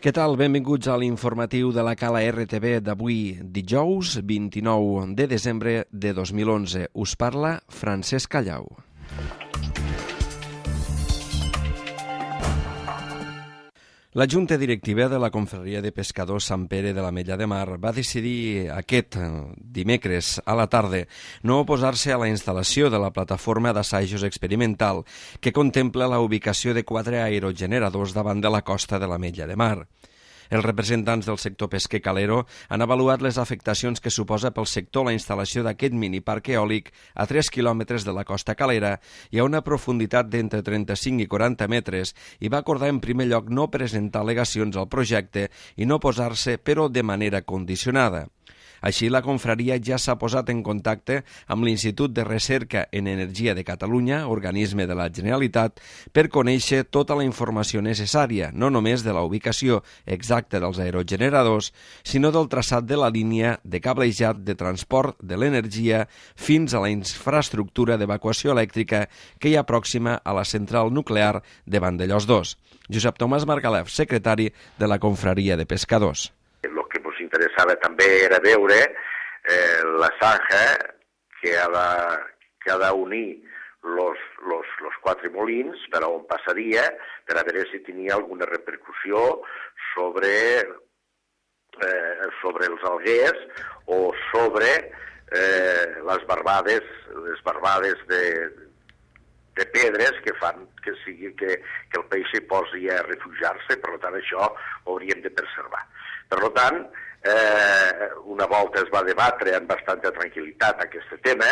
Què tal? Benvinguts a l'informatiu de la Cala RTV d'avui, dijous 29 de desembre de 2011. Us parla Francesc Callau. La Junta Directiva de la Confraria de Pescadors Sant Pere de l'Ametlla de Mar va decidir aquest dimecres a la tarda no oposar-se a la instal·lació de la plataforma d'assajos experimental que contempla la ubicació de 4 aerogeneradors davant de la costa de l'Ametlla de Mar. Els representants del sector pesquer calero han avaluat les afectacions que suposa pel sector la instal·lació d'aquest miniparc eòlic a 3 quilòmetres de la costa calera i a una profunditat d'entre 35 i 40 metres i va acordar en primer lloc no presentar al·legacions al projecte i no posar-se, però de manera condicionada. Així, la confraria ja s'ha posat en contacte amb l'Institut de Recerca en Energia de Catalunya, organisme de la Generalitat, per conèixer tota la informació necessària, no només de la ubicació exacta dels aerogeneradors, sinó del traçat de la línia de cablejat de transport de l'energia fins a la infraestructura d'evacuació elèctrica que hi ha pròxima a la central nuclear de Vandellòs 2. Josep Tomàs Margalef, secretari de la Confraria de Pescadors. Interessava també era veure la zanja que ha d'unir los 4 molins per on passaria, per a veure si tenia alguna repercussió sobre els alguers o sobre les barbades de pedres que fan que sigui que el peix s'hi posi a refugiar-se, per tant això ho hauríem de preservar. Per tant, una volta es va debatre amb bastanta tranquil·litat aquest tema,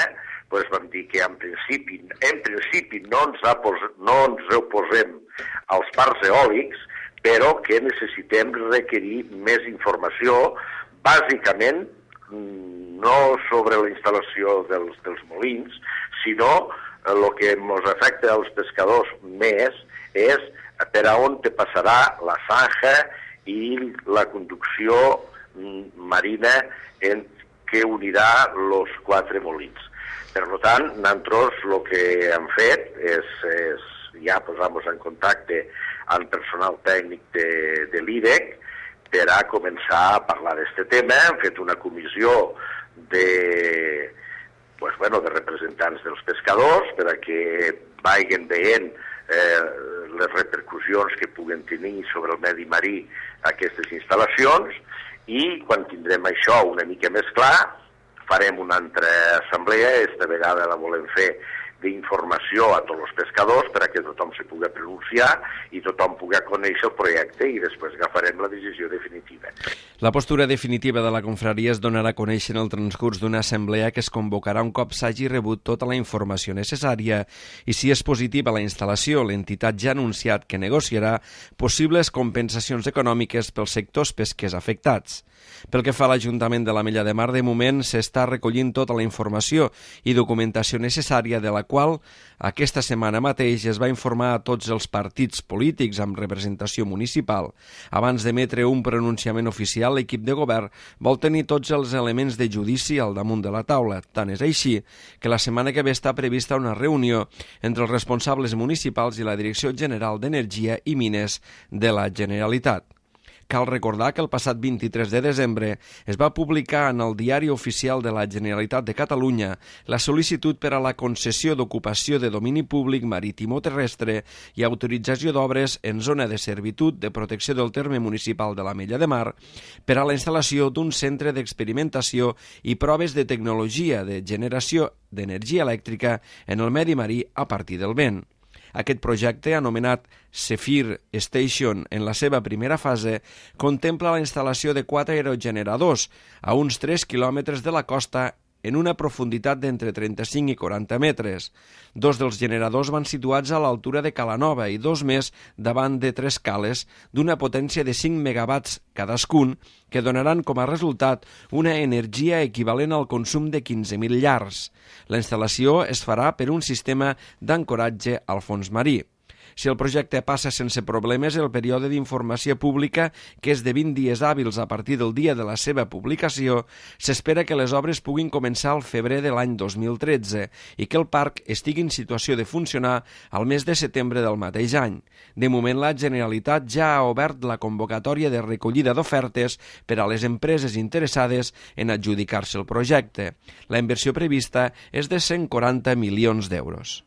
doncs vam dir que en principi no ens oposem als parcs eòlics, però que necessitem requerir més informació, bàsicament no sobre la instal·lació dels molins, sinó el que ens afecta als pescadors més és per a on te passarà la zanja i la conducció marina que unirà els 4 molins. Per tant, nosaltres el que hem fet és ja posar-nos en contacte amb personal tècnic de l'IDEC per a començar a parlar d'aquest tema. Hem fet una comissió de representants dels pescadors per a que vagin veient les repercussions que puguen tenir sobre el medi marí aquestes instal·lacions i quan tindrem això una mica més clar farem una altra assemblea, esta vegada la volem fer d'informació a tots els pescadors per a que tothom se pugui pronunciar i tothom pugui conèixer el projecte i després agafarem la decisió definitiva. La postura definitiva de la confraria es donarà a conèixer en el transcurs d'una assemblea que es convocarà un cop s'hagi rebut tota la informació necessària i si és positiva la instal·lació, l'entitat ja ha anunciat que negociarà possibles compensacions econòmiques pels sectors pesquers afectats. Pel que fa a l'Ajuntament de l'Ametlla de Mar, de moment s'està recollint tota la informació i documentació necessària de la qual aquesta setmana mateix es va informar a tots els partits polítics amb representació municipal. Abans d'emetre un pronunciament oficial, l'equip de govern vol tenir tots els elements de judici al damunt de la taula. Tant és així que la setmana que ve està prevista una reunió entre els responsables municipals i la Direcció General d'Energia i Mines de la Generalitat. Cal recordar que el passat 23 de desembre es va publicar en el Diari Oficial de la Generalitat de Catalunya la sol·licitud per a la concessió d'ocupació de domini públic marítim o terrestre i autorització d'obres en zona de servitud de protecció del terme municipal de l'Ametlla de Mar per a la instal·lació d'un centre d'experimentació i proves de tecnologia de generació d'energia elèctrica en el medi marí a partir del vent. Aquest projecte, anomenat Zephyr Station en la seva primera fase, contempla la instal·lació de 4 aerogeneradors a uns 3 quilòmetres de la costa en una profunditat d'entre 35 i 40 metres. 2 dels generadors van situats a l'altura de Calanova i 2 més davant de 3 cales d'una potència de 5 megawatts cadascun que donaran com a resultat una energia equivalent al consum de 15.000 llars. La instal·lació es farà per un sistema d'ancoratge al fons marí. Si el projecte passa sense problemes, el període d'informació pública, que és de 20 dies hàbils a partir del dia de la seva publicació, s'espera que les obres puguin començar al febrer de l'any 2013 i que el parc estigui en situació de funcionar al mes de setembre del mateix any. De moment, la Generalitat ja ha obert la convocatòria de recollida d'ofertes per a les empreses interessades en adjudicar-se el projecte. La inversió prevista és de 140 milions d'euros.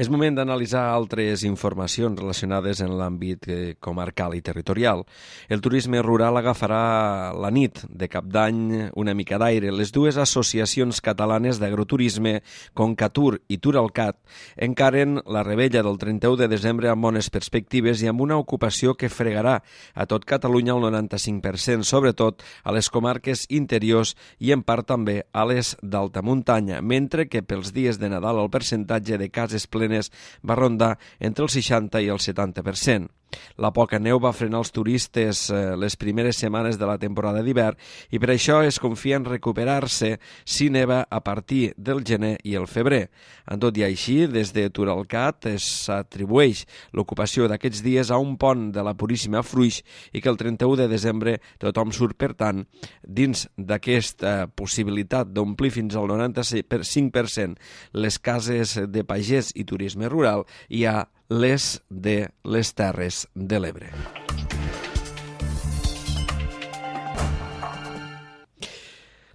És moment d'analitzar altres informacions relacionades en l'àmbit comarcal i territorial. El turisme rural agafarà la nit de Cap d'Any una mica d'aire. Les dues associacions catalanes d'agroturisme, Concatur i Turalcat, encaren la rebella del 31 de desembre amb bones perspectives i amb una ocupació que fregarà a tot Catalunya el 95%, sobretot a les comarques interiors i en part també a les d'alta muntanya, mentre que pels dies de Nadal el percentatge de cases plenes va rondar entre el 60 i el 70%. La poca neu va frenar els turistes les primeres setmanes de la temporada d'hivern i per això es confia en recuperar-se si neva a partir del gener i el febrer. En tot i així, des de Turalcat s'atribueix l'ocupació d'aquests dies a un pont de la Puríssima Fruix i que el 31 de desembre tothom surt, per tant, dins d'aquesta possibilitat d'omplir fins al 95% les cases de pagès i turisme rural, hi ha les de les Terres de l'Ebre.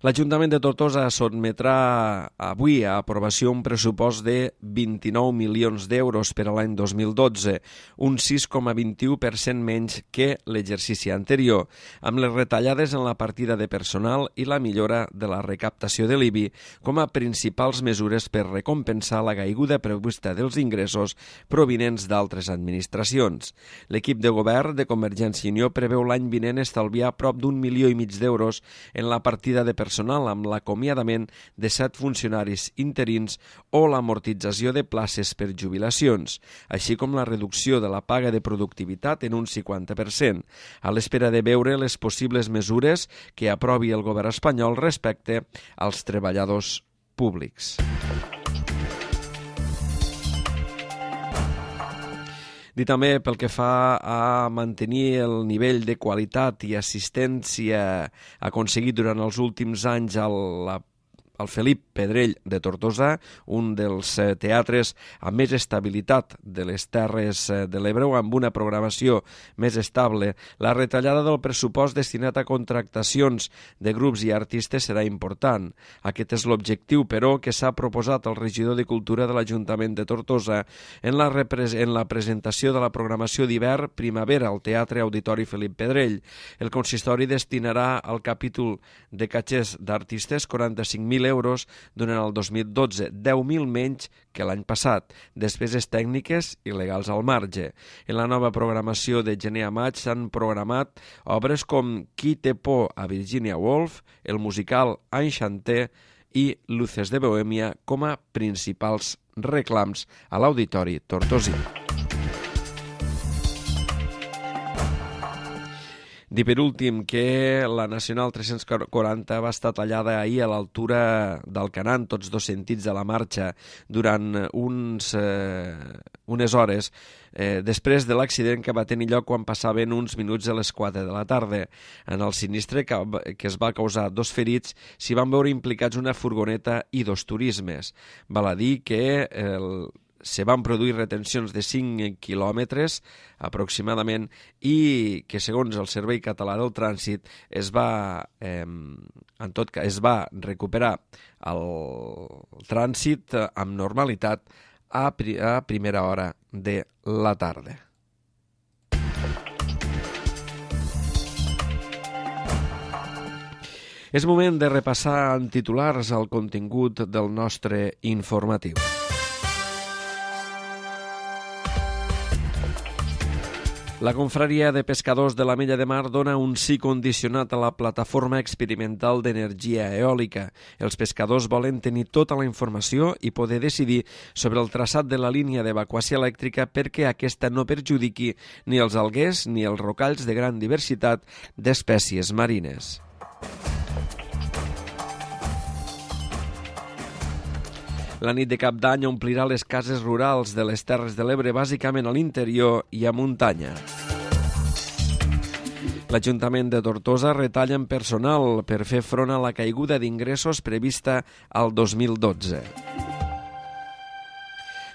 L'Ajuntament de Tortosa sotmetrà avui a aprovació un pressupost de 29 milions d'euros per a l'any 2012, un 6,21% menys que l'exercici anterior, amb les retallades en la partida de personal i la millora de la recaptació de l'IBI com a principals mesures per recompensar la caiguda prevista dels ingressos provinents d'altres administracions. L'equip de govern de Convergència i Unió preveu l'any vinent estalviar prop d'1,5 milions d'euros en la partida de personal amb l'acomiadament de 7 funcionaris interins o l'amortització de places per jubilacions, així com la reducció de la paga de productivitat en un 50%, a l'espera de veure les possibles mesures que aprovi el govern espanyol respecte als treballadors públics. Dir també pel que fa a mantenir el nivell de qualitat i assistència aconseguit durant els últims anys al Felip Pedrell de Tortosa, un dels teatres amb més estabilitat de les Terres de l'Ebre, amb una programació més estable. La retallada del pressupost destinat a contractacions de grups i artistes serà important. Aquest és l'objectiu, però, que s'ha proposat al regidor de Cultura de l'Ajuntament de Tortosa en la presentació de la programació d'hivern primavera al Teatre Auditori Felip Pedrell. El consistori destinarà al capítol de catxers d'artistes 45.000 euros durant el 2012, 10.000 menys que l'any passat, despeses tècniques i legals al marge. En la nova programació de gener a maig s'han programat obres com Qui té por a Virginia Woolf, el musical Enchanté i Luces de Bohèmia com a principals reclams a l'Auditori tortosí. Dir per últim que la Nacional 340 va estar tallada ahir a l'altura d'Alcanar en tots dos sentits de la marxa durant unes hores després de l'accident que va tenir lloc quan passaven uns minuts a les 4 de la tarda. En el sinistre que es va causar 2 ferits s'hi van veure implicats una furgoneta i 2 turismes. Val a dir que se van produir retencions de 5 quilòmetres aproximadament i que, segons el Servei Català del Trànsit, es va recuperar el trànsit amb normalitat a primera hora de la tarda. És moment de repassar en titulars el contingut del nostre informatiu. La confraria de pescadors de l'Ametlla de Mar dona un sí condicionat a la plataforma experimental d'energia eòlica. Els pescadors volen tenir tota la informació i poder decidir sobre el traçat de la línia d'evacuació elèctrica perquè aquesta no perjudiqui ni els alguers ni els rocalls de gran diversitat d'espècies marines. La nit de Cap d'Any omplirà les cases rurals de les Terres de l'Ebre, bàsicament a l'interior i a muntanya. L'Ajuntament de Tortosa retalla en personal per fer front a la caiguda d'ingressos prevista al 2012.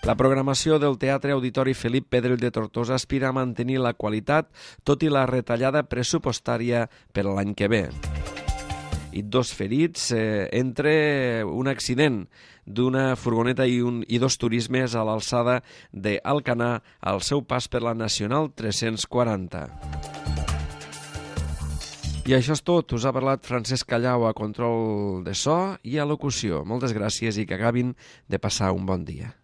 La programació del Teatre Auditori Felip Pedrell de Tortosa aspira a mantenir la qualitat, tot i la retallada pressupostària per a l'any que ve. I 2 ferits entre un accident d'una furgoneta i 2 turismes a l'alçada d'Alcanar al seu pas per la Nacional 340. I això és tot. Us ha parlat Francesc Callau a control de so i a locució. Moltes gràcies i que acabin de passar un bon dia.